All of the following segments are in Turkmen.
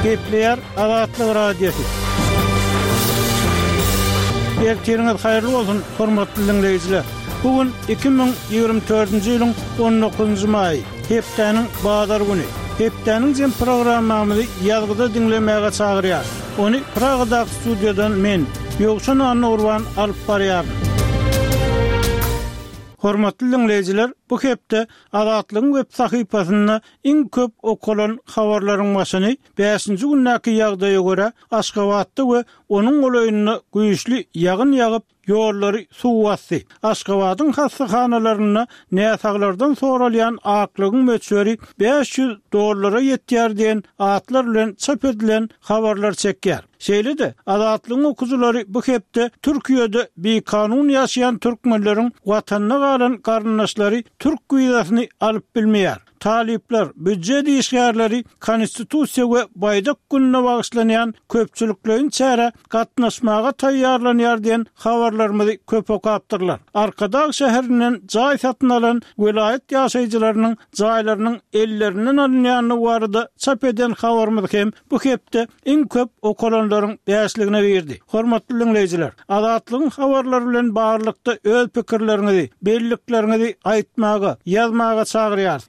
Gepleýär Azatlyk Radiosy. Ertiriňiz haýyrly bolsun, hormatly diňleýjiler! Bu gün 2024-nji ýylyň on dokuzynjy maýy, hepdäniň bazar güni. Hepdäniň jem programmamyzy ýazgyda diňlemäge çagyrýarys. Ony Pragadaky studiýadan men, Ýowşan Annagurban alyp barýaryn. Hormatly diňleýjiler, bu hepde Azatlygyň web sahypasynda iň köp okalan habarlaryň başyny bäşinji gündäki ýagdaýa görä, Aşgabatda we onuň golaýynda güýçli ýagyn ýagyp, ýollary suw basdy. Aşgabadyň hassahanalarynda näsaglardan soralýan aklygyň möçberi 500 dollara ýetýär diýen atlar bilen çap edilen habarlar çekýär. Şeýle-de, Azatlygyň okyjylary bu hepde Türkiýede bikanun ýaşaýan türkmenleriň watanda galan garyndaşlary türk wizasyny alyp bilmeýär. Talyplar, býujet işgärleri Konstitusiýa we Baýdak gününe bagyşlanýan köpçülikleýin çärä gatnaşmaga taýýarlanýar diýen habarlarymyzy köp okapdyrlar. Arkadag şäherinden jaý satyn alan welaýat ýaşaýjylarynyň jaýlarynyň ellerinden alynýandygy barada çap eden habarymyz hem bu hepde iň köp okalanlaryň bäşligine girdi. Hormatly diňleýjiler, Azatlygyň habarlary bilen baglylykda öz pikirleriňizi, bellikleriňizi aýtmaga, ýazmaga çagyrýarys.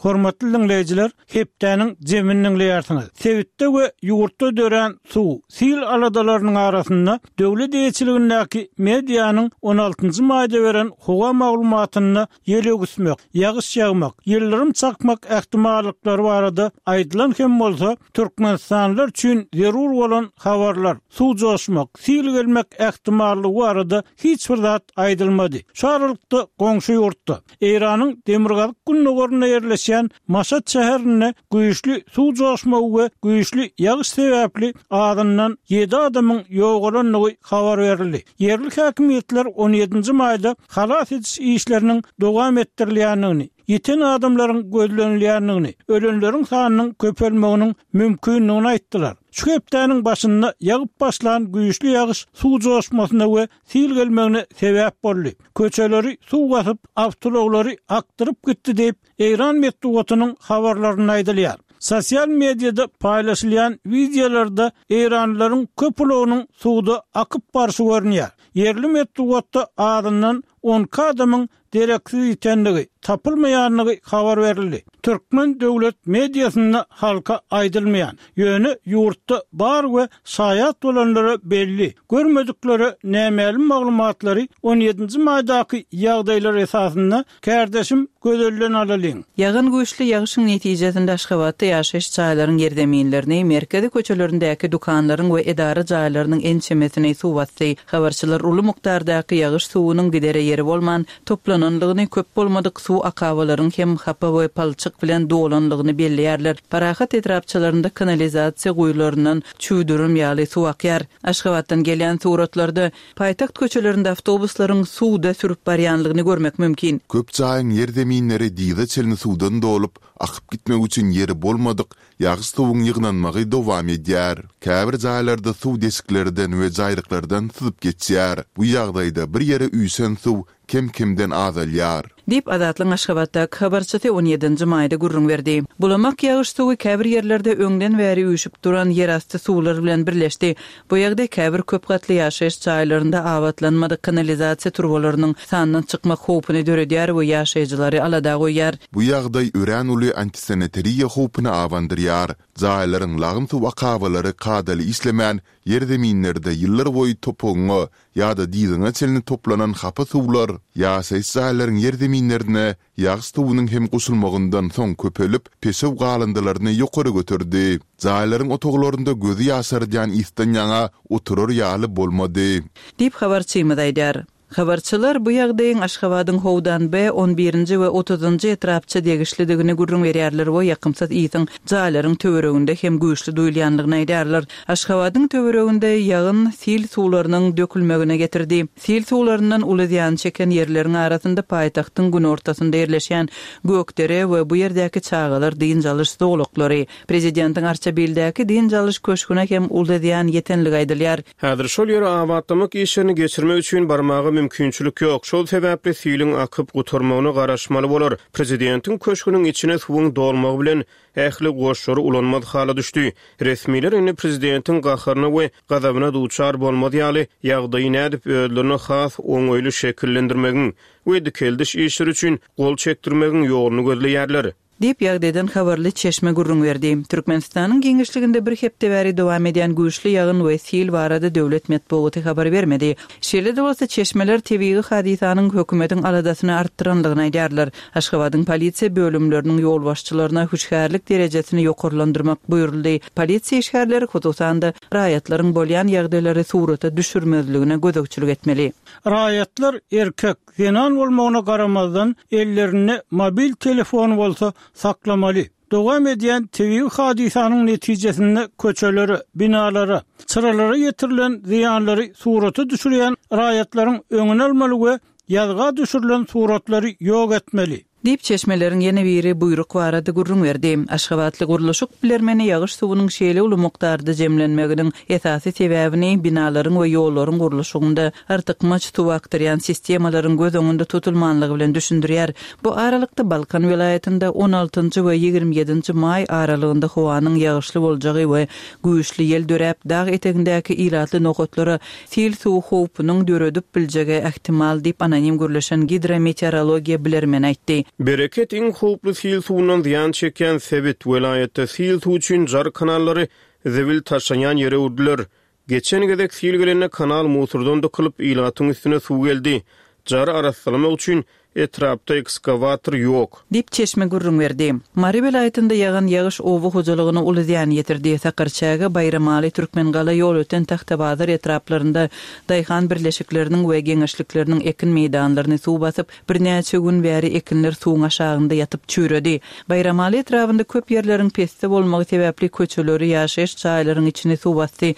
Hormatly diňleýjiler, hepdäniň jemini diňleýärsiňiz. Sebitde we ýurtda dörän suw, sil aladalarynyň arasynda döwlet eýeçiligindäki medianyň on altynjy maýda beren howa maglumatynda ýel öwüsmek, ýagyş ýagmak, ýyldyrym çakmak ähtimallyklary barada aýdylan hem bolsa, türkmenistanlylar üçin zerur bolan habarlar, suw joşmak, sil gelmek ähtimallygy barada hiç bir zat aýdylmady. Şu aralykda goňşy ýurtda, Eýranyň demirgazyk-gündogarynda ýerleşýän Maşat şäherinde güýçli suw joşmagy we güýçli ýagyş sebäpli azyndan ýedi adamyň ýogalandygy habar berildi. Ýerli häkimiýetler on ýedinji maýda halas ediş işleriniň dowam etdirilýändigini, ýiten adamlaryň gözlenilýändigini, ölenleriň sanynyň köpelmeginiň mümkindigini aýtdylar. Şu hepdäniň başynda ýagyp başlan güýçli ýagyş suw joşmasyna we sil gelmegine sebäp boldy. Köçeleri suw basyp, awtoulaglary akdyryp gitdi diýip, Eýran metbugatynyň habarlarynda aýdylýar. Sosial mediada paýlaşylýan wideolarda eýranlylaryň köp ulagynyň suwda akyp barşy görünýär. Ýerli metbugatda azyndan 12 adamyň dereksiz ýitendigi, tapylmaýandygy habar berildi. Türkmen döwlet mediasynda halka aýdylmaýan, ýöne ýurtda bar we şaýat bolanlara belli, görmediklere nämälim maglumatlary on ýedinji maýdaky ýagdaýlar esasynda Kärdeşim Gözelden alalyň. Ýagan güýçli ýagyşyň netijesinde Aşgabatda ýaşaýyş jaýlaryň ýerzeminlerini, merkezi köçelerindäki dükanlaryň we edara jaýlarynyň ençemesini suw basdy. Habarçylar uly mukdardaky ýagyş suwunyň gidere ýeri bolman, toplananlygyny, köp bolmadyk suw akabalaryň hem hapa we palçyk bilen dolanlygyny belleýärler. Parahat etrapçalarynda kanalizasiýa guýularyndan çüwdürim ýaly suw akýar. Aşgabatdan gelýän suratlarda Paýtagt köçelerinde awtobuslaryň suwda sürüp barýanlygyny görmek mümkin. Köp jaýyň ýerzeminleri dyza çenli suwdan dolup, akyp gitmek üçin ýeri bolmadyk ýagyş suwuň ýygnanmagy dowam edýär. Käbir jaýlarda suw deşiklerden we jaýryklardan syzyp geçýär. Bu ýagdaýda bir ýere üýşen suw kem-kemden azalýar. Diýip, Azatlygyň Aşgabatdaky habarçysy on ýedinji maýda gürrüň berdi. Bulamak ýagyş suwy käbir ýerlerde öňden bäri üýşüp duran ýerasty suwlar bilen birleşdi. Bu ýagdaý käbir köp gatly ýaşaýyş jaýlarynda abatlanmadyk kanalizasiýa turbalarynyň sandan çykmak howpuny döredýär we ýaşaýjylary alada goýýar. Bu ýagdaý örän uly antisanitariýa howpuny abandyrýar. Jaýlaryň lagym suw akabalary kadaly işlemän, ýerzeminlerde ýyllarboýy topugyňa ýa-da dyzyňa çenli toplanan hapa suwlar ýaşaýyş jaýlaryň ýerzeminlerine ýagyş suwunyň hem goşulmagyndan soň köpelip, peşew galyndylaryny ýokary göterdi. Jaýlaryň otaglarynda gözi ýaşardýan ysdan ýaňa oturar ýaly bolmady. Diýip, habarçymyz aýdýar. Habarçylar bu ýagdaýyň Aşgabadyň Howdan-B, on birinji we otuzynjy etrapça degişlidigini gürrüň berýärler we ýakymsyz ysyň jaýlaryň töwereginde hem güýçli duýulýandygyny aýdýarlar. Aşgabadyň töwereginde ýagyn sil suwlarynyň dökülmegine getirdi. Sil suwlaryndan uly zyýan çeken ýerleriň arasynda paýtagtyň günortasynda ýerleşýän Gökdere we bu ýerdäki çagalar dynç alyş zolaklary, Prezidentiň Arçabildäki dynç alyş köşgüne hem uly zyýan ýetenligi aýdylýar. Häzir şol ýere abatlamak işlerini geçirmek üçin barmaga mümkinçilik. mümkinçilik ýok. Şol sebäpli siliň akyp gutarmagyna garaşmaly bolar. Prezidentiň köşgüniň içine suwuň dolmagy bilen, ähli goşlary ulanmaz hala düşdi. Resmiler indi prezidentiň gaharyna we gazabyna duçar bolmaz ýaly, ýagdaýy nädip özlerine has oňaýly şekillendirmegiň we dikeldiş işleri üçin gol çekdirmegiň ýoluny gözleýärler. Diýip, ýagdaýdan habarly çeşme gürrüň berdi. Türkmenistanyň giňişliginde bir hepde bäri dowam edýän güýçli ýagyn we sil barada döwlet metbugaty habar bermedi. Şeýle-de bolsa, çeşmeler tebigy hadysanyň hökümetiň aladasyny artdyrandygyny aýdýarlar. Aşgabadyň polisiýa bölümleriniň ýolbaşçylaryna hüşgärlik derejesini ýokarlandyrmak buýruldy. Polisiýa işgärleri, hususan-da, raýatlaryň bolýan ýagdaýlary surata düşürmezligine gözegçilik etmeli. Raýatlar erkek, zenan bolmagyna garamazdan, ellerinde mobil telefony bolsa saklamaly. Dowam edýän tebigy hadysanyň netijesinde köçelere, binalara, çyralara ýetirilen zyýanlary surata düşürýän raýatlaryň öňüni almaly we ýazga düşürilen suratlary ýok etmeli. Diýip, çeşmeleriň ýene biri buýruk barada gürrüň berdi. Aşgabatly gurluşyk bilermeni ýagyş suwunyň şeýle uly mukdarda jemlenmeginiň esasy sebäbini binalaryň we ýollaryň gurluşygynda artykmaç suw akdyrýan sistemalaryň göz öňünde tutulmanlygy bilen düşündirýär. Bu aralykda, Balkan welaýatynda on altynjy we 27 nji maý aralygynda howanyň ýagyşly boljagy we güýçli ýel döräp, dag etegindäki ilatly nokatlara Sil suw howpunyň döredip biljegi ähtimal diýip, anonim gürleşen gidrometeorologiýa bilermeni aýtdy. Bereket iň howply sil suwundan zyýan çekýän sebit. Welaýatda sil suw üçin jar kanallary zibil taşlanýan ýere öwrüdiler. Geçen gezek sil gelende kanal musurdan dykylyp, ilatyň üstüne suw geldi. Jary arassalamak üçin Etrapda ekskawator ýok. Diýip, çeşme gürrüň berdi. Mary welaýatynda ýagan ýagyş oba hojalygyna uly zyýan ýetirdi. Sakarçäge, Baýramaly, Türkmengala, Ýolöten, Tagtabazar etraplarynda daýhan birleşikleriniň we geňeşlikleriniň ekin meýdanlaryny suw basyp, birnäçe gün bäri ekinler suwuň aşagynda ýatyp çüýredi. Baýramaly etrabynda köp ýerleriň pesde bolmagy sebäpli köçeleri, ýaşaýyş jaýlaryň içini suw basdy.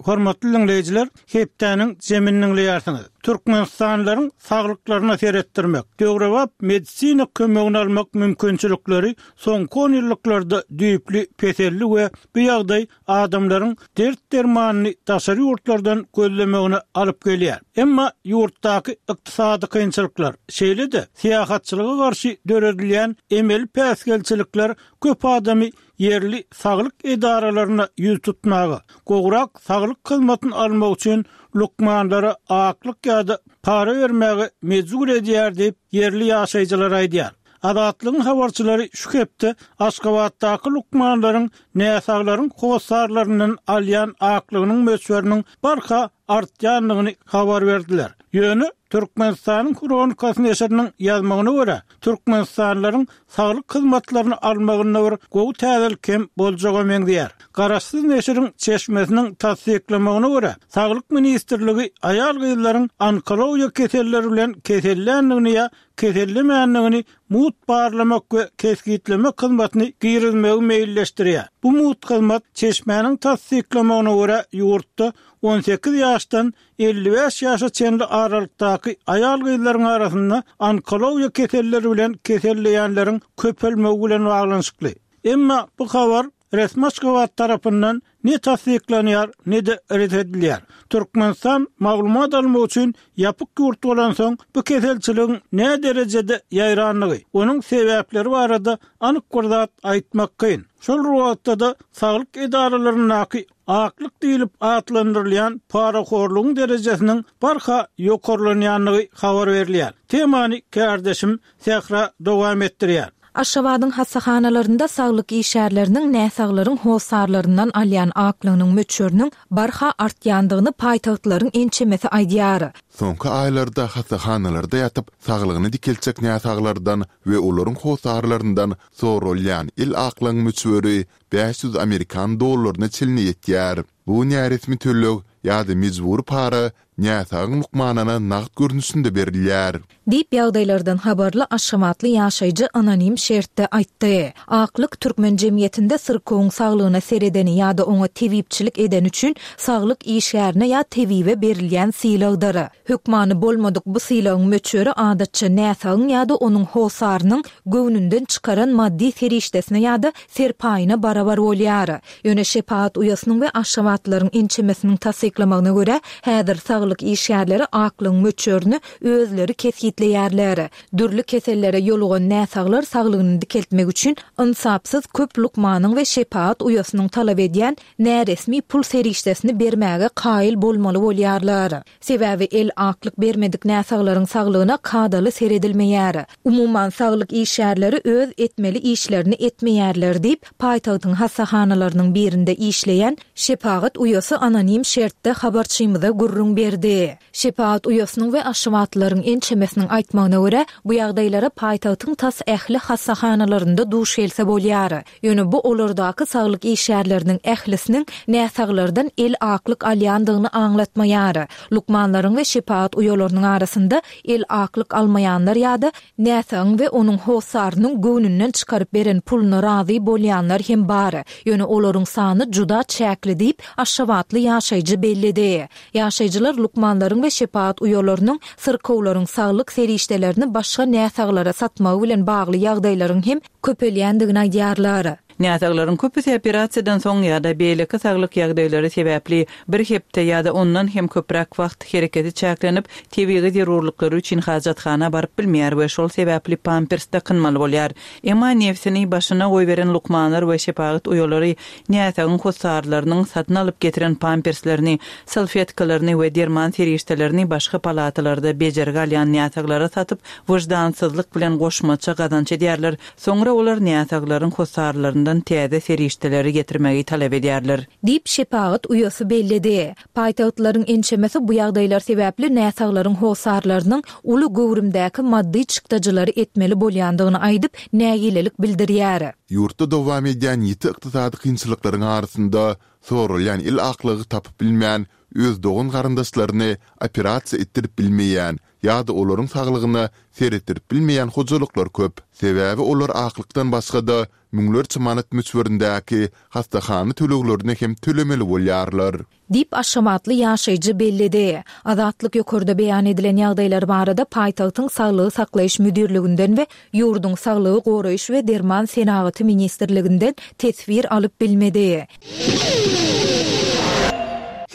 Hormatly diňleýjiler, Hepdäniň jemini diňleýärsiňiz. Türkmenistanlylaryň saglyklaryna seretdirmek, döwrebap medisina kömegini almak mümkinçilikleri soňky onýyllyklarda düýpli peseldi we bu ýagdaý adamlaryň dert-dermanyny daşary ýurtlardan gözlemegine alyp gelýär. Emma ýurtdaky ykdysady kynçylyklar, şeýle-de syýahatçylyga garşy döredilýän emeli päsgelçilikler köp adamy ýerli saglyk edaralaryna ýüz tutmaga, gowrak saglyk hyzmatyny almak üçin lukmanlara aklyk ýa-da para bermäge mejbur edýär diýip, ýerli ýaşaýjylar aýdýar. Azatlygyň habarçylary şu hepde Aşgabatdaky lukmanlaryň näsaglaryň hossarlaryndan alýan aklygynyň möçberiniň barha artýandygyny habar berdiler. Ýöne Türkmenistanyň Hronikasy neşiriniň ýazmagyna görä, türkmenistanlylaryň saglyk hyzmatlaryny almagynda bir gowy täzelik hem boljaga meňzeýär. Garaşsyz neşiriň çeşmesiniň tassyklamagyna görä, Saglyk ministrligi aýal-gyzlaryň onkologiýa keselleri bilen keselländigini ýa kesellemändigini mugt barlamak we kesgitlemek hyzmatyny girizmegi meýilleşdirýär. Bu mugt hyzmat, çeşmäniň tassyklamagyna görä, ýurtda 18 ýaşdan 55 ýaşa çenli aralykdaky aýal-gyzlaryň arasynda onkologiýa keselleri bilen keselleýänleriň köpelmegi bilen baglanyşykly. Emma bu habar resmi Aşgabat tarapyndan ne tassyklanýar, ne-de ret edilýär. Türkmenistan maglumat almak üçin ýapyk ýurt bolansoň, bu keselçiligiň näderejede ýaýrandygy, onuň sebäpleri barada anyk bir zat aýtmak kyn. Şol bir wagtda-da saglyk edaralaryndaky Aklyk diýlip atlandyrylýan parahorlugyň derejesiniň barha ýokarlanýandygy habar berilýär. Temany kärdeşim Sähra dowam etdirýär. Aşgabadyň hassahanalarynda saglyk işgärleriniň näsaglaryň hossarlaryndan alýan aklygynyň möçberiniň barha artýandygyny paýtagtlylaryň ençemesi aýdýar. Soňky aýlarda hassahanalarda ýatyp, saglygyny dikeltjek näsaglardan we olaryň hossarlaryndan soralýan el aklygyň möçberi 500 amerikan dollaryna çenli ýetýär. Bu näresmi töleg ýa-da mejbury para näsagyň lukmanyna nagt görnüşinde berilýär. Diýip, ýagdaýlardan habarly aşgabatly ýaşaýjy anonim şertde aýtdy. Aklyk türkmen jemgyýetinde syrkawyň saglygyna seredeni ýa-da oňa tebipçilik edeni üçin saglyk işgärine ýa tebibe berilýän sylagdyr. Hökmany bolmadyk bu sylagyň möçberi adatça näsagyň ýa-da onuň hossarynyň göwnünden çykaran maddy serişdesine ýa-da serpaýyna barabar bolýar. Ýöne şepagat uýasynyň we aşgabatlylaryň ençemesiniň tassyklamagyna görä, häzir saglyk işgärleri aklygyň möçberini özleri kesgitleýärler. Dürli kesellere ýolugan näsaglar saglygyny dikeltmek üçin ynsapsyz köp lukmanyň we şepagat uýasynyň talap edýän näresmi pul serişdesini bermäge kaýyl bolmaly bolýarlar. Sebäbi el aklyk bermedik näsaglaryň saglygyna kadaly seredilmeýär. Umuman, saglyk işgärleri öz etmeli işlerini etmeýärler diýip, paýtagtyň hassahanalarynyň birinde işleýän şepagat uýasy anonim şertde habarçymyza gürrüň berdi. Şepagat uýasynyň we aşgabatlylaryň ençemesiniň aýtmagyna görä, bu ýagdaýlara paýtagtyň tas ähli hassahanalarynda duş gelse bolýar. Ýöne bu olardaky saglyk işgärleriniň ählisiniň näsaglardan el aklyk alýandygyny aňlatmaýar. Lukmanlaryň we şepagat uýalarynyň arasynda el aklyk almaýanlar ýa-da näsagyň we onuň hossarynyň göwnünden çykaryp beren puluna razy bolýanlar hem bar. Ýöne olaryň sany juda çäkli diýip, aşgabatly ýaşaýjy belledi. Ýaşaýjylar lukmanlaryň we şepagat uýalarynyň syrkawlaryň saglyk serişdelerini başga näsaglara satmagy bilen bagly ýagdaýlaryň hem köpelýändigini aýdýarlar. Näsaglaryň köpüsi operasiýadan soň ýa-da beýleki saglyk ýagdaýlary sebäpli bir hepde ýa-da ondan hem köpräk wagt hereketi çäklenip, tebigy zerurlyklary üçin hajathana baryp bilmeýär we şol sebäpli pampers dakynmaly bolýar. Emma nebsini başyna goýberen lukmanlar we şepagat uýalary näsagyň hossarlarynyň satyn alyp getiren pamperslerini, salfetkalaryny we derman serişdelerini başga palatalarda bejergi alýan näsaglara satyp, wyždansyzlyk bilen goşmaça gazanç edýärler. Soňra olar näsaglaryň hossarlaryndan täze serişdeleri getirmegi talap edýärler. Diýip, şepagat uýasy belledi. Paýtagtlylaryň ençemesi bu ýagdaýlar sebäpli näsaglaryň hossarlarynyň uly göwrümdäki maddy çykdajylary etmeli bolýandygyny aýdyp, nägilelik bildirýär. Ýurtda dowam edýän ýiti ykdysady kynçylyklaryň arasynda soralýan el aklygy tapyp bilmän, öz dogan-garyndaşlaryny operasiýa etdirip bilmeýän ýa-da olaryň saglygyna seretdirip bilmeýän hojalyklar köp. Sebäbi olar aklykdan başga-da müňlerçe manat möçberindäki hassahana töleglerini hem tölemeli bolýarlar. Diýip, aşgabatly ýaşaýjy belledi. Azatlyk ýokarda beýan edilen ýagdaýlar barada paýtagtyň Saglygy saklaýyş müdirliginden we ýurduň Saglygy goraýyş we derman senagaty ministrliginden teswir alyp bilmedi.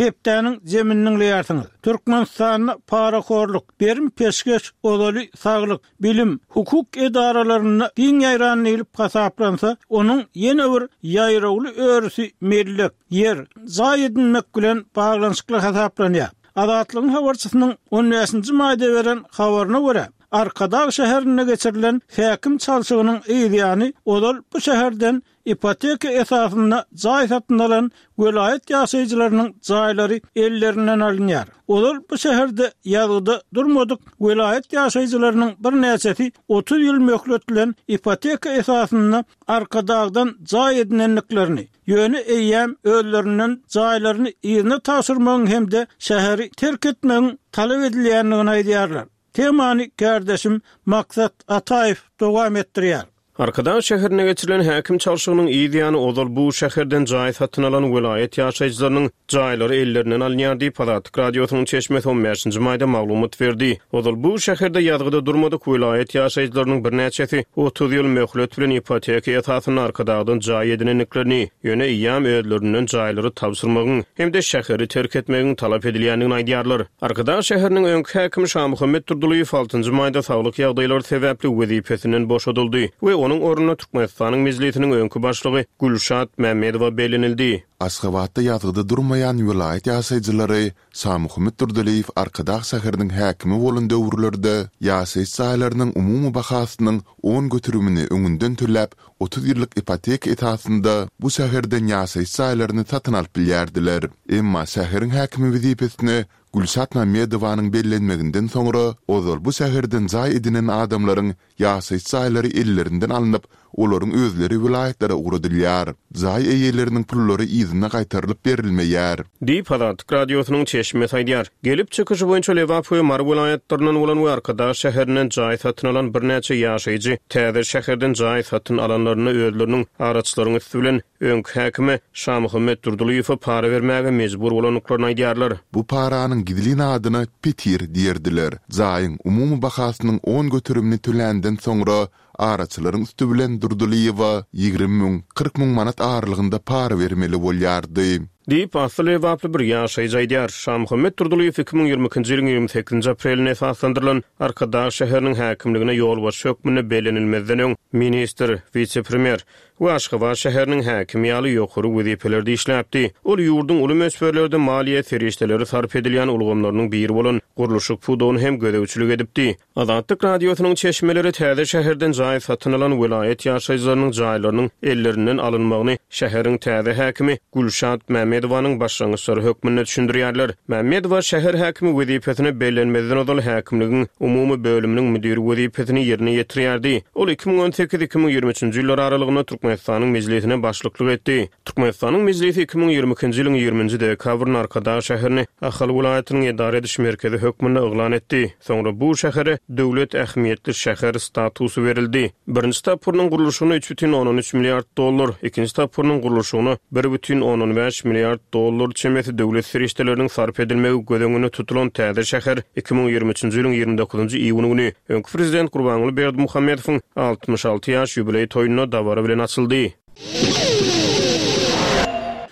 Hepdäniň jemini diňleýärsiňiz. Türkmenistanda parahorluk, berim-peşgeş ozaly saglyk, bilim, hukuk edaralarynda giň ýaýran diýlip hasaplansa, onuň ýene bir ýaýrawly örüsi mellek, ýer, jaý edinmek bilen baglanyşykly hasaplanýar. Azatlygyň habarçysynyň on bäşinji maýda beren habaryna görä, Arkadag şäherinde geçirilen häkim çalşygynyň yzýany ozal bu şäherden Ipoteka esasynda jaý satyn alan welaýat ýaşaýjylarynyň jaýlary ellerinden alynýar. Ozal bu şäherde ýazgyda durmadyk welaýat ýaşaýjylarynyň birnäçesi 30 ýyl möhlet bilen ipoteka esasynda Arkadagdan jaý edinendiklerini, ýöne eýýäm özlerinden jaýlaryny yzyna tabşyrmagyň hem-de şäheri terk etmegiň talap edilýändigini aýdýarlar. Temany kärdeşim Maksat Ataýew dowam etdirýär. Arkadag şäherinde geçirilen häkim çalşygynyň yz ýany ozal bu şäherden jaý satyn alan welaýat ýaşaýjylarynyň jaýlary ellerinden alynýar diýip, Azatlyk Radiosynyň çeşmesi on bäşinji maýda maglumat berdi. Ozal bu şäherde ýazgyda durmadyk welaýat ýaşaýjylarynyň birnäçesi 30 ýyl möhlet bilen ipoteka esasynda Arkadagdan jaý edinendiklerini, ýöne eýýäm özlerinden jaýlary tabşyrmagyň hem-de şäheri terk etmegiň talap edilýändigini aýdýarlar. Arkadag şäheriniň öňki häkimi Şamuhammet Durdylyýew altynjy maýda saglyk ýagdaýlary sebäpli wezipesinden boşadyldy we onuň ornuna Türkmenistanyň Mejlisiniň öňki başlygy Gülşat Mämmedowa bellenildi. Aşgabatda ýazgyda durmaýan welaýat ýaşaýjylary Şamuhammet Durdylyýew Arkadag şäheriniň häkimi bolan döwürlerde ýaşaýyş jaýlarynyň umumy bahasynyň on göterimini öňünden töläp, 30 ýyllyk ipoteka esasynda bu şäherden ýaşaýyş jaýlaryny satyn alyp bilýärdiler. Emma şäheriň häkimi wezipesine Gülşat Mämmedowanyň bellenmeginden soňra, ozal bu şäherden jaý edinen adamlaryň ýaşaýyş jaýlary ellerinden alnyp, olaryň özleri welaýatlara ugradylýar. Jaý eýeleriniň pullary yzyna. yzyna gaýtarylyp berilmeýär. Diýip, Azatlyk Radiosynyň çeşmesi aýdýar. Gelip çykyşy boýunça Lebap we Mary welaýatlaryndan bolan we Arkadag şäherinden jaý satyn alan birnäçe ýaşaýjy täze şäherden jaý satyn alanlarynda özleriniň araçylaryň üsti bilen öňki häkime Şamuhammet Durdylyýewe para bermäge mejbur bolandyklaryny aýdýarlar. Bu paranyň gizlin adyna petir diýerdiler. Jaýyň umumy bahasynyň on göterimini töländen soňra araçylaryň üsti bilen Durdylyýewa 20 müň, 40 müň manat aralygynda para bermeli bolýardy. Diýip, asly lebaply bir ýaşaýjy aýdýar. Şamuhammet Durdylyýew 2022-nji ýylyň 28-nji aprelinde esaslandyrylan Arkadag şäheriniň häkimligine ýolbaşçy hökmünde bellenilmezden öň ministr, wise-premýer we Aşgabat şäheriniň häkimi ýaly ýokary wezipelerde işläpdi. Ol ýurduň uly möçberlerde maliýe serişdeleri sarp edilýän ulgamlarynyň biri bolan gurluşyk pudagyny hem gözegçilik edipdi. Azatlyk Radiosynyň çeşmeleri täze şäherden jaý satyn alan welaýat ýaşaýjylarynyň jaýlarynyň ellerinden alynmagyny şäheriň täze häkimi Gülşat Mämmedowanyň başlangyçlary hökmünde düşündirýärler. Mämmedowa şäher häkimi wezipesine bellenmezden ozal häkimligiň umumy bölüminiň müdiri wezipesini ýerine ýetirýärdi. Ol 2018, 2023-nji ýyllar aralygynda Türkmenistanyň Mejlisine başlyklyk etdi. Türkmenistanyň Mejlisi 2022-nji ýylyň ýigriminji dekabrynda Arkadag şäherini Ahal welaýatynyň edara ediş merkezi hökmünde yglan etdi. Soňra bu şähere döwlet ähmiýetli şäher statusy berildi. Birinji tapgyrynyň gurluşygyna üç bütin ondan üç milliard dollar, ikinji tapgyrynyň gurluşygyna bir bütin ondan bäş milliard dollar çemesi döwlet serişdeleriniň sarp edilmegi göz öňünde tutulan täze şäher 2023-nji ýylyň 29-njy iýuny güni öňki prezident Gurbanguly Berdimuhamedowyň 66 ýaş ýubileý toýunda dabara bilen açyldy.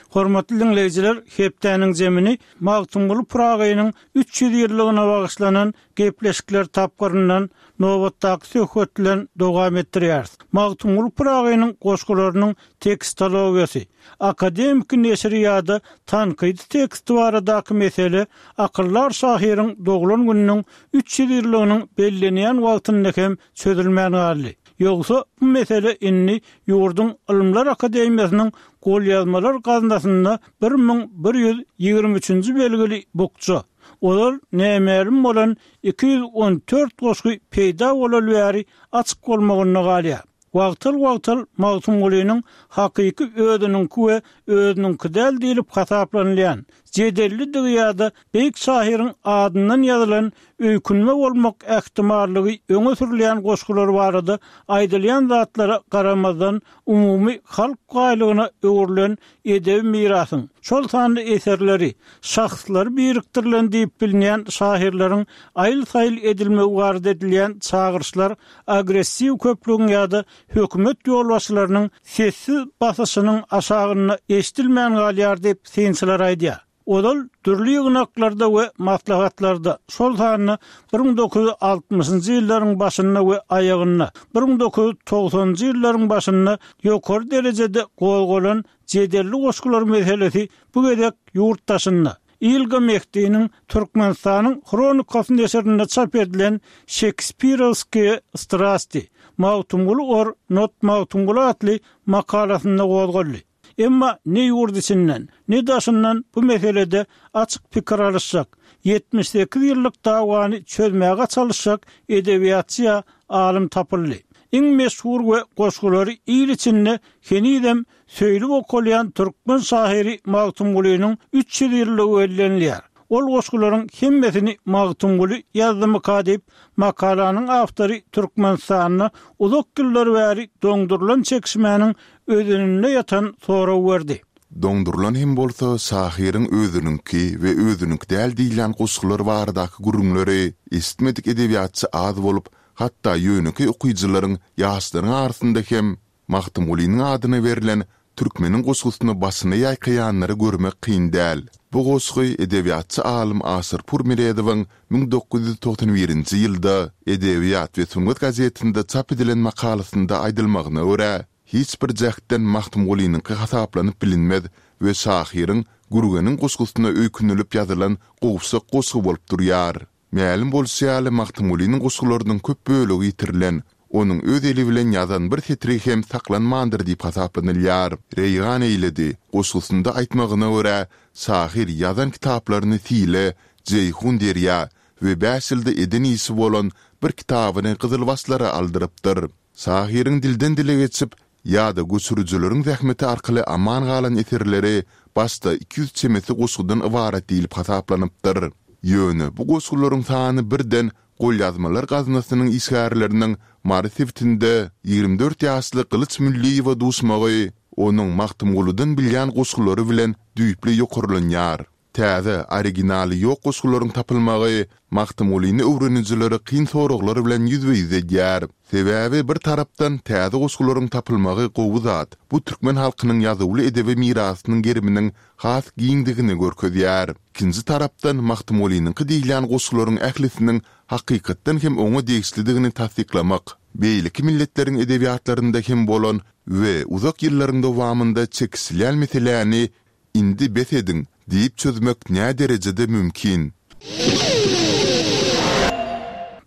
Hormatly diňleýjiler, hepdäniň jemini Magtymguly Pyragynyň 300 ýyllygyna bagyşlanan gepleşikler tapgyryndan nobatdaky söhbet bilen dowam etdirýäris. Magtymguly Pyragynyň goşgularynyň tekstologiýasy, akademiki neşiri ýa-da tankydy teksti baradaky mesele akyldar şahyryň doglan gününiň 300 ýyllygynyň bellenýän wagtynda hem çözülmän galdy. Ýogsa bu mesele indi ýurduň Ylymlar akademiýasynyň golýazmalar gaznasynda 1123-nji belgili bukja, ozal nämälim bolan 214 goşgy peýda bolaly bäri açyk bolmagynda galýar. Wagtal-wagtal Magtymgulynyň hakyky özüniňki we özüniňki däl diýlip hasaplanylýan, jedellidigi ýa-da beýik şahyryň adyndan ýazylan öýkünme bolmak ähtimallygy öňe sürülýän goşgular barada aýdylýan zatlara garamazdan umumy halk baýlygyna öwrülen edebi mirasyň, şol sanda eserleri, şahslary birikdirilen diýip bilinýän şahyrlaryň aýyl-saýyl edilmegi barada edilýän çagyryşlar agressiw köplügiň ýa-da hökümet ýolbaşçylarynyň sessiz basyşynyň aşagynda eşidilmän galýar diýip, synçylar aýdýar. Ozal dürli ýygnaklarda we maslahatlarda, şol sanda 1960-njy ýyllaryň başynda we aýagynda, 1990-njy ýyllaryň başynda ýokary derejede gozgalan jedelli goşgular meselesi bu gezek ýurt daşynda, Ilga Mehdiniň Türkmenistanyň Hronikasy neşirinde çap edilen Şekspirowskiýe strasti, Magtymguly or not Magtymguly atly makalasynda gozgaldy. Emma ne ýurt içinden, ne daşyndan bu meselede açyk pikir alyşjak, 78 ýyllyk dawany çözmäge çalyşjak edebiýatçy ýa alym tapyldy. Iň meşhur we goşgulary il içinde henizem söýlüp okalýan türkmen şahyry Magtymgulynyň 300 ýyllygy bellenilýär. Ol goşgularyň hemmesini Magtymguly ýazdymyka diýip, makalanyň awtory Türkmenistanda uzak ýyllar bäri doňdurylan çekişmäniň özeninde ýatan sorag berdi. Doňdurylan hem bolsa, şahyryň özüniňki we özüniňki däl diýilýän goşgular baradaky gürrüňleri eşitmedik edebiýatçy az bolup, hatda ýönekeý okyjylaryň, ýaşlaryň arasynda hem Magtymgulynyň adyna berlen Türkmeniň goşgusyna başyny ýaýkaýanlary görmek kyn däl. Bu goşgy edebiýatçy alym Aşyrpur Meredowyň 1991-nji ýylda Edebiýat we sungat gazetinde çap edilen makalasynda aýdylmagyna görä, hiç bir jähtden Magtymgulynyňky hasaplanyp bilinmez we şahyryň Gürgeniň goşgusyna öýkünilip ýazylan gowşak goşgy bolup durýar. Mälim bolşy ýaly, Magtymgulynyň goşgularynyň köp bölegi ýitirilen, onuň öz eli bilen ýazan bir setiri hem saklanmandyr diýip hasaplanylýar. Reýgan eýledi goşgusynda aýtmagyna görä, şahyr ýazan kitaplaryny sile, Jeýhun derýa we bäş ýylda eden işi bolan bir kitabyny gyzylbaşlara aldyrypdyr. Şahyryň dilden-dile geçip, ýa-da göçürijileriň zähmeti arkaly aman galan eserleri başda 200 çemesi goşgudan ybarat diýlip hasaplanypdyr. Ýöne bu goşgularyň sany birden Golýazmalar gaznasynyň işgärleriniň Mary sebitinde 24 ýaşly Gylyç Mülliýewe duşmagy onuň Magtymguludan bilýän goşgulary bilen düýpli ýokarlanýar. Täze, originaly ýok goşgularyň tapylmagy Magtymgulyny öwrenijileri kyn soraglar bilen ýüzbe-ýüz edýär. Sebäbi bir tarapdan täze goşgularyň tapylmagy gowy zat, bu türkmen halkynyň ýazuwly edebi mirasynyň geriminiň has giňdigini görkezýär. Ikinji tarapdan Magtymgulynyňky diýilýän goşgularyň ählisiniň hakykatdan hem oňa degişlidigini tassyklamak, beýleki milletleriň edebiýatlarynda hem bolan we uzak ýyllaryň dowamynda çekişilýän meseläni Indi bes ediň! diýip çözmek näderejede mümkin?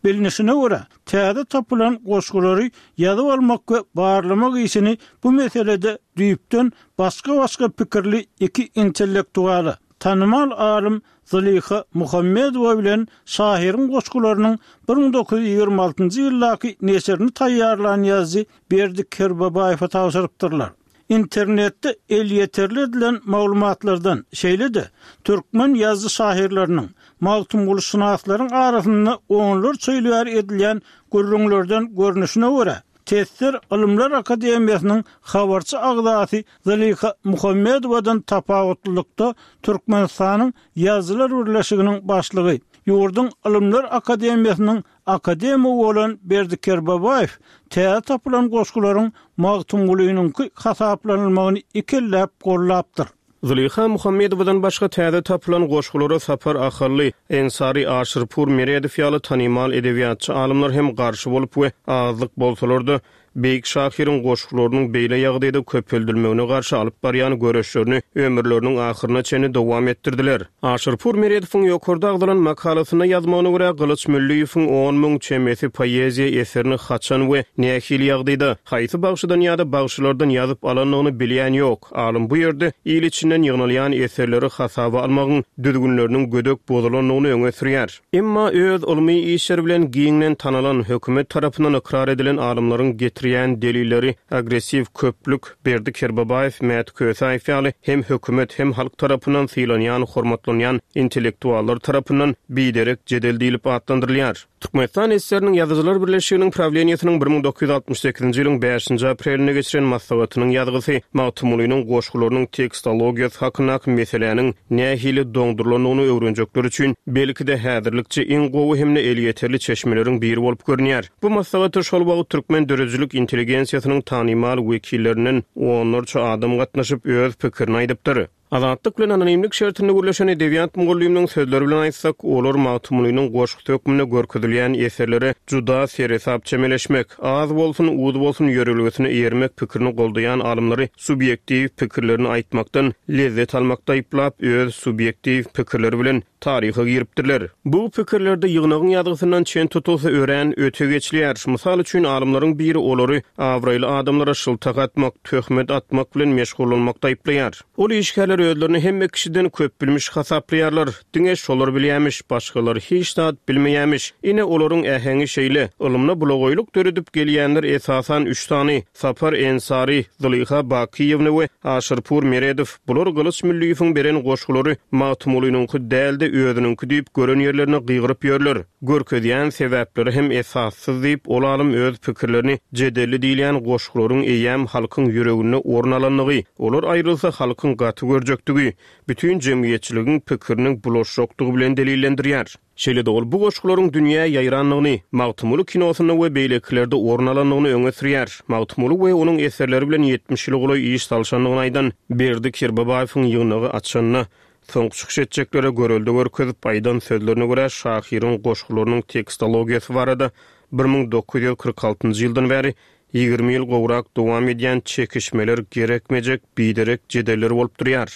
Bilnişine görä, täze tapylan goşgulary ýazyp almak we barlamak işini bu meselede düýpden başga-başga pikirli iki intellektuala, tanymal alym Zylyha Muhammedowa bilen şahyryň goşgularynyň 1926-njy ýyldaky neşirini taýýarlan ýazyjy Berdi Kerbabaýewe tabşyrypdyrlar. Internetde elýeterli edilen maglumatlardan, şeýle-de türkmen ýazyjy-şahyrlarynyň, magtymgulyşynaslaryň arasynda onlarça ýyl bäri edilýän gürrüňlerden görnüşine görä, TSSR Ylymlar akademiýasynyň habarçy agzasy Zylyha Muhammedowadan tapawutlylykda Türkmenistanyň Ýazyjylar birleşiginiň başlygy, ýurduň Ylymlar akademiýasynyň Akademigi bolan Berdi Kerbabaýew täze tapylan goşgularyň Magtymgulynyňky hasaplanylmagyny ikelläp gollapdyr. Zylyha Muhammedowadan başga täze tapylan goşgulara Sapar Ahally, Ensary Aşyrpur Meredow ýaly tanymal edebiýatçy alymlar hem garşy bolup we azlyk bolsalar-da, Beýik şahyryň goşgularynyň beýle ýagdaýda köpeldilmegine garşy alyp barýan göreşlerini ömürleriniň ahyryna çenli dowam etdirdiler. Aşyrpur Meredowyň ýokarda agzalan makalasynda ýazmagyna görä, Gylyç Mülliýewiň 10,000 çemesi poeziýa eserini haçan we nähili ýagdaýda, haýsy bagşydan ýa-da bagşylardan ýazyp alandygyny bilýän ýok. Alym bu ýerde il içinden ýygnalýan eserleri hasaba almagyň düzgünleriniň gödek bozulandygyny öňe sürýär. Emma öz ylmy işleri bilen giňden tanalan, hökümet tarapyndan ykrar edilen alymlaryň getirýän delilleri agressiw köplük, Berdi Kerbabaýew, Mäti Kösäýew ýaly hem hökümet, hem halk tarapyndan sylanýan, hormatlanýan intellektuallar tarapyndan biderek jedel diýlip atlandyrylýar. Türkmenistan SSR-niň Ýazyjylar birleşiginiň prawleniýesiniň 1968-nji ýylyň bäşinji aprelinde geçiren maslahatynyň ýazgysy Magtymgulynyň goşgularynyň tekstologiýasy hakyndaky meseläniň nähili doňdurylandygyny öwrenjekler üçin, belki-de, häzirlikçe iň gowy hem-de elýeterli çeşmeleriň biri bolup görünýär. Bu maslahata şol wagt türkmen döredijilik intelligensiýasynyň tanymal wekillerinden onlarça adam gatnaşyp, öz pikirini aýdypdyr. Azatlyk bilen anonimlik şertinde gürleşen edebiýat mugallymynyň sözleri bilen aýtsak, olar Magtymgulynyň goşgusy hökmünde görkezilýän eserlere juda seresap çemeleşmek, az bolsun, uz bolsun ýörelgesine eýermek pikirini goldaýan alymlary subýektiw pikirlerini aýtmakdan lezzet almakda aýyplap, öz subýektiw pikirleri bilen taryha giripdirler. Bu pikirlerde ýygnagyň ýazgysyndan çen tutulsa örän öte geçilýär. Mysal üçin, alymlaryň biri olary abraýly adamlara şyltak atmak, töhmet atmak bilen meşgullanmakda aýyplaýar. Ol işgärler özlerini hemme kişiden köpbilmiş hasaplaýarlar. Diňe şolar bilýämiş, başgalar hiç zat bilmeýämiş. Ine, olaryň äheňi şeýle. Ylymda bulagaýlyk döredip gelýänler esasan üç sany, Sapar Ensary, Zylyha Bakyýewna we Aşyrpur Meredow. Bular Gylyç Mülliýewiň beren goşgulary Magtymgulynyňky däl-de özüniňki diýip gören ýerlerinde gygyryp ýörler. Görkezýän sebäpleri hem esassyz diýip, ol alym öz pikirlerini jedelli diýilýän goşgularyň eýýäm halkyň ýüreginde orun alandygy, olar aýrylsa halkyň gaty görjekdigi, bütin jemgyýetçiligiň pikiriniň bulaşjakdygy bilen delillendirýär. Şeýle-de ol bu goşgularyň dünýä ýaýrandygyny, Magtymguly kinosynda we beýlekilerde orun alandygyny öňe sürýär. Magtymguly we onuň eserleri bilen 70 ýyla golaý iş salşandygyny aýdan Berdi Kerbabaýewiň ýygnagy açanda Soňky çykyş etjeklere görelde görkezip aýdan sözlerine görä şahyryň goşgularynyň tekstologiýasy barada 1946-njy ýyldan bäri 20 ýyl gowrak dowam edýän çekişmeler gerekmejek, biderek jedeller bolup durýar.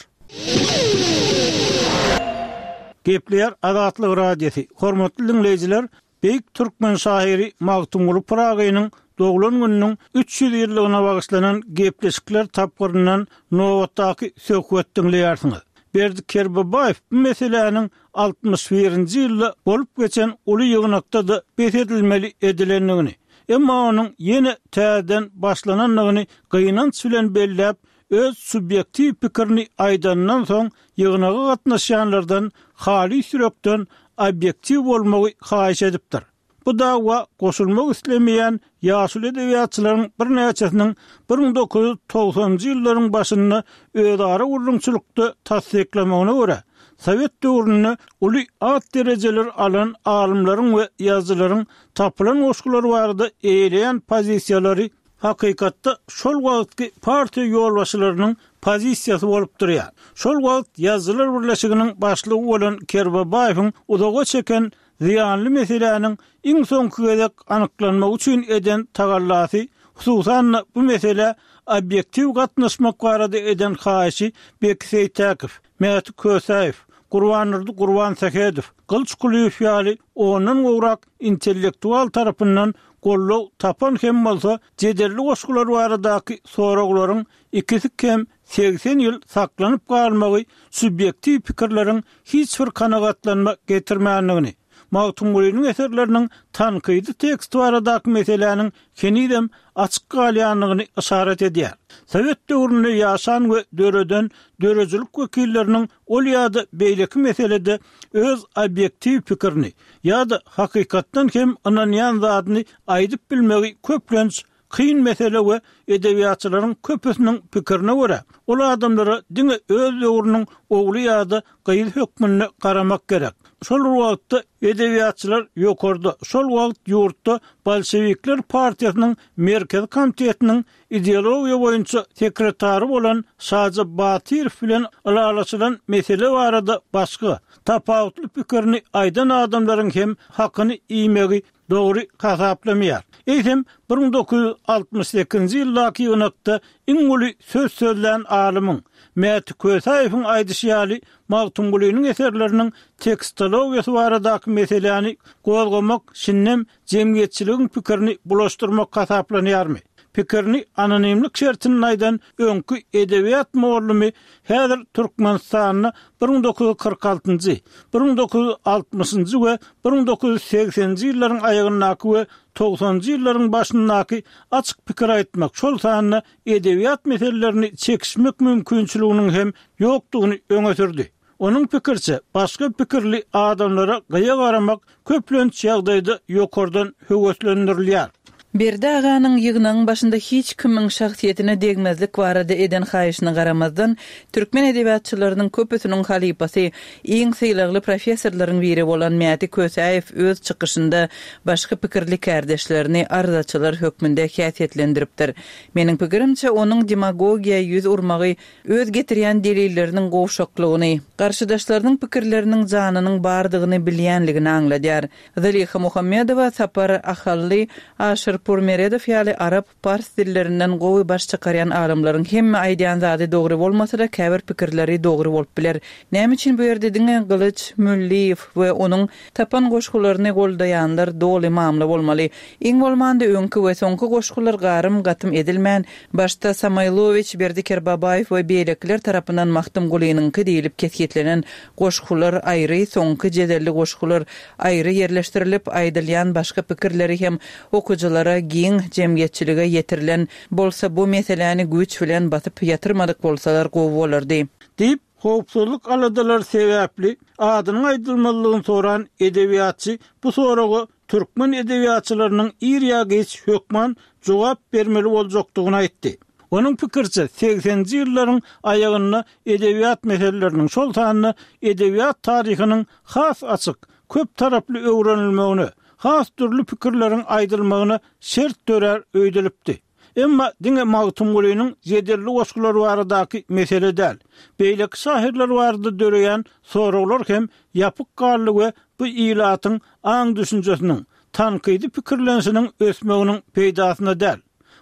Gepleýär Azatlyk Radiosy, Hormatly diňleýjiler, Beýik türkmen şahyry Magtymguly Pyragynyň doglan gününiň 300 ýyllygyna bagyşlanan gepleşikler tapgyryndan nobatdaky söhbet diňleýärsiňiz. Berdi Kerbabaýew bu meseläniň altmyş birinji ýylda bolup geçen uly ýygnakda-da bes edilmeli edilendigini, Emma onuň ýene täzeden başlanandygyny gynanç bilen belläp, öz subýektiw pikirini aýdanyndan soň ýygnaga gatnaşýanlardan halys ýürekden obýektiw bolmagy haýyş edipdir. Bu dawa goşulmak islemeýän ýaşuly edebiýatçylaryň birnäçesiniň 1990-njy ýyllaryň başynda özara gürrüňçilikde tassyklamagyna görä, sowet döwründe uly at-derejeler alan alymlaryň we ýazyjylaryň tapylan goşgular barada eýeleýän pozisiýalary hakykatda şol wagtky partiýa ýolbaşçylarynyň pozisiýasy bolup durýar. Şol wagt Ýazyjylar birleşiginiň başlygy bolan Kerbabaýewiň uzaga çeken zyýanly meseläniň iň soňky gezek anyklanmagy üçin eden tagallasy, hususan-da bu meselä obýektiw gatnaşmak barada eden haýyşy Beki Seýtäkow, Mäti Kösäýew, Gurbandurdy Gurbansähedow, Gylyç Kulyýew ýaly ondan gowrak intellektual tarapyndan goldaw tapan hem bolsa, jedelli goşgular baradaky soraglaryň ikisi kem 80 ýyl saklanyp galmagy subýektiw pikirleriň hiç bir kanagatlanma getirmändigini, Magtymgulynyň eserleriniň tankydy teksti baradaky meseläniň henizem açyk galýandygyny yşarat edýär. Sowet döwründe ýaşan we döreden döredijilik wekilleriniň ol ýa-da beýleki meselede öz obýektiw pikirini ýa-da hakykatdan hem ynanýan zadyny aýdyp bilmegi köplenç Kyn mesele we edebiýatçylaryň köpüsiniň pikirine görä, ol adamlara diňe öz döwrüniň ogly ýa-da gyzy hökmünde garamak gerek. Şol bir wagtda edebiýatçylar ýokarda, şol wagt ýurtda bolşewikler partiýasynyň Merkezi komitetiniň ideologiýa boýunça sekretary bolan Şaja Batyrow bilen ylalaşylan mesele barada başga, tapawutly pikirini aýdan adamlaryň hem hakyny iýmegi dogry hasaplamaýar. Eýsem, 1968-nji ýyldaky ýygnakda iň uly söz sözlän alymyň, Mäti Kösäýewiň aýdyşy ýaly, Magtymgulynyň eserleriniň tekstologiýasy baradaky meseläni gozgamak şindem jemgyýetçiligiň pikirini bulaşdyrmak hasaplanýarmy? Pikirini anonimlik şertinde aýdan öňki edebiýat mugallymy häzir Türkmenistanda 1946-njy, 1960-njy we 1980-nji ýyllaryň aýagyndaky we togsanjy ýyllaryň başyndaky açyk pikir aýtmak, şol sanda edebiýat meselelerini çekişmek mümkinçiliginiň hem ýokdugyny öňe sürdi. Onuň pikiriçe, başga pikirli adamlara gyýa garamak köplenç ýagdaýda ýokardan höweslendirilýär. Berdi aganyň ýygnagyň başynda hiç kimiň şahsyýetine degmezlik barada eden haýyşyna garamazdan, türkmen edebiýatçylarynyň köpüsiniň halypasy, iň sylagly professorlaryň biri bolan Mäti Kösäýew öz çykyşynda başga pikirli kärdeşlerini arzaçylar hökmünde häsiýetlendiripdir. Meniň pikirimçe, onuň demagogiýa ýüz urmagy öz getirýän delilleriniň gowşaklygyny, garşydaşlarynyň pikirleriniň janynyň bardygyny bilýänligini aňladýar. Zylyha Muhammedowa, Sapar Ahally, Aşyr Purmeredow ýaly arap, pars dillerinden gowy baş çykarýan alymlaryň hemme aýdýan zady dogry bolmasa-da käbir pikirleri dogry bolup biler. Näme üçin bu ýerde diňe Gylyç Mülliýew we onuň tapan goşgularyny goldaýanlar doly mamla bolmaly? Iň bolmanda öňki we soňky goşgular garym-gatym edilmän, Başda Samoýlowiç, Berdi Kerbabaýew we beýlekiler tarapyndan Magtymgulynyňky diýlip kesgitlenen goşgular aýry, soňky jedelli goşgular aýry ýerleşdirilip, aýdylýan başga pikirleri hem okyjylara, giň jemgyýetçilige ýetirilen bolsa bu meseläni güýç bilen basyp ýatyrmadyk bolsalar gowy bolardy. Diýip, howpsuzlyk aladalary sebäpli adynyň aýdylmazlygyny soran edebiýatçy bu soraga türkmen edebiýatçylarynyň ir ýa giç hökman jogap bermeli boljakdygyny aýtdy. Onuň pikiriçe, segseninji ýyllaryň aýagynda edebiýat meseleleriniň, şol sanda edebiýat taryhynyň has açyk, köp taraply öwrenilmegine, has dürli pikirleriň aýdylmagyna şert dörär öýdülipdi. Emma diňe Magtymgulynyň jedelli goşgulary baradaky mesele däl, beýleki şahyrlar barada döreýän soraglar hem ýapyk galdy we bu ilatyň aň-düşünjesiniň, tankydy pikirlenişiniň ösmeginiň peýdasyna däl.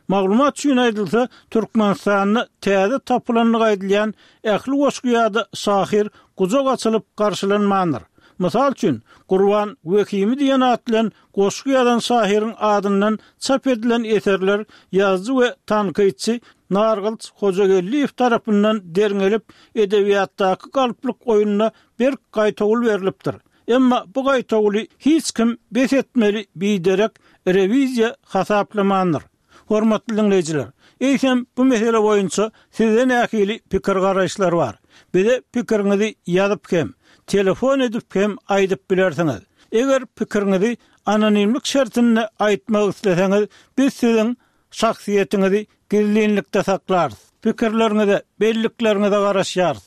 Maglumat üçin aýdylsa, Türkmenistanda täze tapylandygy aýdylýan ähli goşgy ýa-da şahyr gujak açylyp garşylanmandyr. Mysal üçin, Gurban Wehimi diýen at bilen goşgy ýazan şahyryň adyndan çap edilen eserler ýazyjy we tankytçy Nargylyç Hojageldiýew tarapyndan derňelip, edebiýatdaky galplyk oýnuna berk gaýtawul berlipdir. Emma bu gaýtawuly hiç kim bes etmeli biderek Rewiziýa hasaplamandyr. Hormatly diňleýjiler, eýsem bu mesele boýunça sizde nähili pikir-garaýyşlar bar? Bize pikiriňizi ýazyp hem, telefon edip hem aýdyp bilersiňiz. Eger pikiriňizi anonimlik şertinde aýtmak isleseňiz, biz siziň Şahsyýetiňizi gizlinlikde saklarys. Pikirleriňize, bellikleriňize garaşýarys.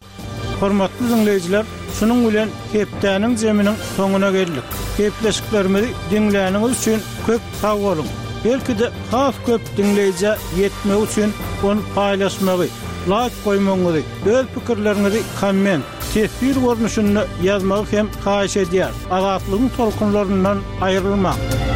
Hormatly diňleýjiler, şunuň bilen hepdäniň jeminiň soňuna geldik. Gepleşiklerimizi diňläniňiz üçin köp sag boluň! Belki-de has köp diňleýjä ýetmegi üçin ony paýlaşmagy, laýk goýmagyňyzy, öz pikirleriňizi komment, teswir görnüşinde ýazmagy hem haýyş edýäris. Azatlygyň tolkunlaryndan aýrylmaň!